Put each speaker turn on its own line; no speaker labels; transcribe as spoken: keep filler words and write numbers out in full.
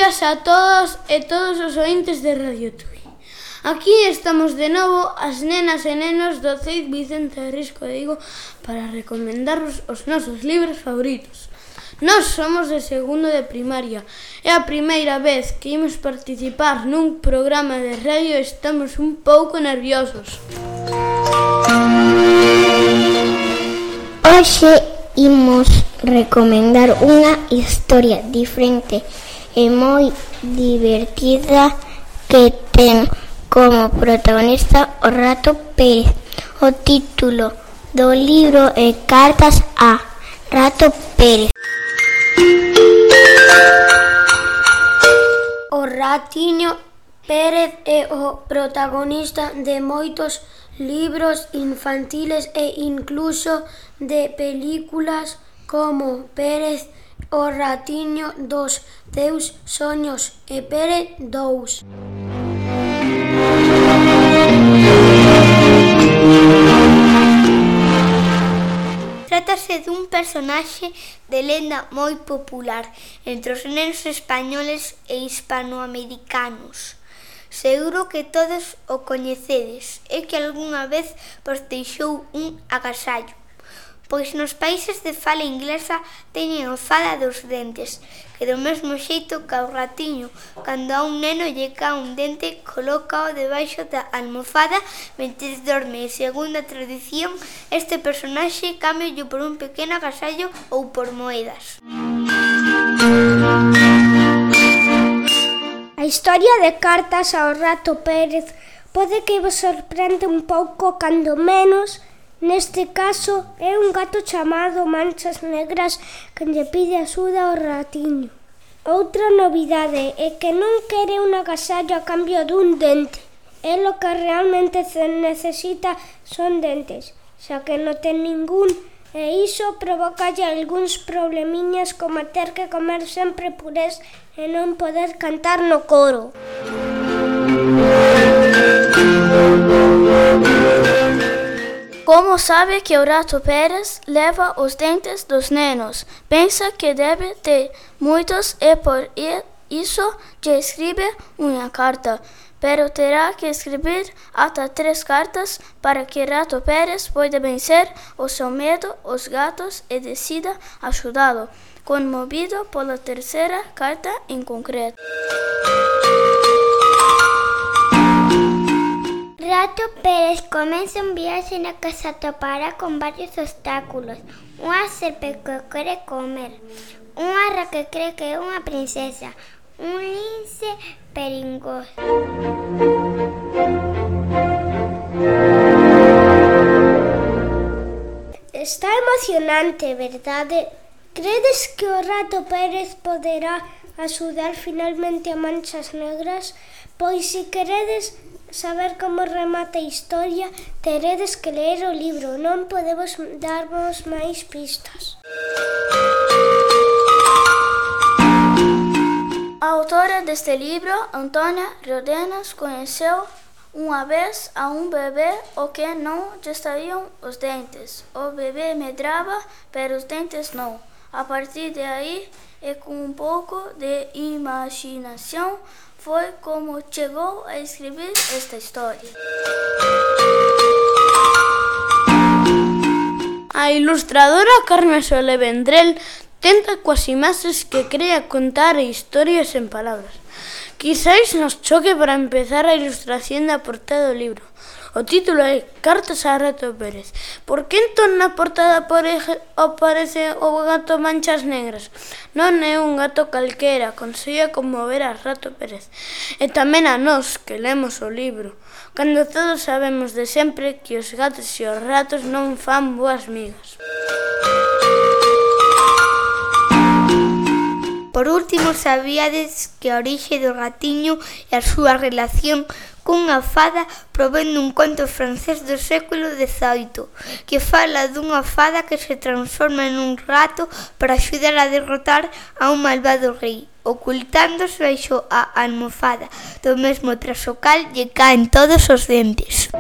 días a todos e todos os ointes de Radio Tui. Aquí estamos de novo as nenas e nenos do C E I D Vicente Risco de Vigo para recomendarvos os nosos libros favoritos. Nós somos de segundo de primaria. É a primeira vez que imos participar nun programa de radio e estamos un pouco nerviosos.
Hoxe imos recomendar unha historia diferente e moi divertida que ten como protagonista o Rato Pérez. O título do libro é Cartas a Rato Pérez.
O Ratiño Pérez é o protagonista de moitos libros infantiles e incluso de películas como Pérez, o Ratiño dos teus soños e Pérez dous.
Trátase dun personaxe de lenda moi popular entre os nenos españoles e hispanoamericanos. Seguro que todos o coñecedes e que algunha vez vos deixou un agasallo, pois nos países de fala inglesa teñen a fada dos dentes, que do mesmo xeito que ao ratiño, cando a un neno lle cae un dente, colócao debaixo da almofada mentres dorme, e segundo a tradición, este personaxe cámbiollo por un pequeno agasallo ou por moedas.
A historia de Cartas ao Rato Pérez pode que vos sorprende un pouco, cando menos. Neste caso, é un gato chamado Manchas Negras que lle pide axuda ao ratiño. Outra novidade é que non quere un agasallo a cambio dun dente. El o que realmente necesita son dentes, xa que non ten ningún, e iso provocalle algúns problemiñas como ter que comer sempre purés e non poder cantar no coro.
Como sabe que o Rato Pérez leva os dentes dos nenos? Pensa que debe ter moitos e por iso lle escribe unha carta, pero terá que escribir ata tres cartas para que Rato Pérez poida vencer o seu medo aos gatos e decida axudalo, conmovido pola terceira carta en concreto.
Rato Pérez comeza un viaxe na que se atopará con varios obstáculos. Unha serpe que quere comer, unha ra que cree que é unha princesa, un lince perigoso.
Está emocionante, verdade? Credes que o Rato Pérez poderá axudar finalmente a Manchas Negras? Pois se queredes saber como remata a historia, teredes que ler o libro, non podemos darvos máis pistas.
A autora deste libro, Antônia Rodenas, coñeceu unha vez a un bebé o que non lle saían os dentes. O bebé medraba, pero os dentes non. A partir de aí, e con un pouco de imaginación, foi como chegou a escribir esta historia.
A ilustradora Carmen Sole Vendrell tenta coas imaxes que crea contar historias en palabras. Quizais nos choque para empezar a ilustración da portada do libro. O título é Cartas a Rato Pérez. Por que entón na portada aparece o gato Manchas Negras? Non é un gato calquera, consegue conmover a Rato Pérez. E tamén a nós, que lemos o libro, cando todos sabemos de sempre que os gatos e os ratos non fan boas migas.
Por último, sabíades que a orixe do ratiño e a súa relación cunha fada provén dun conto francés do século dezaoito, que fala dunha fada que se transforma nun rato para axudar a derrotar a un malvado rei, ocultándose baixo a almofada, do mesmo tras o cal lle caen todos os dentes.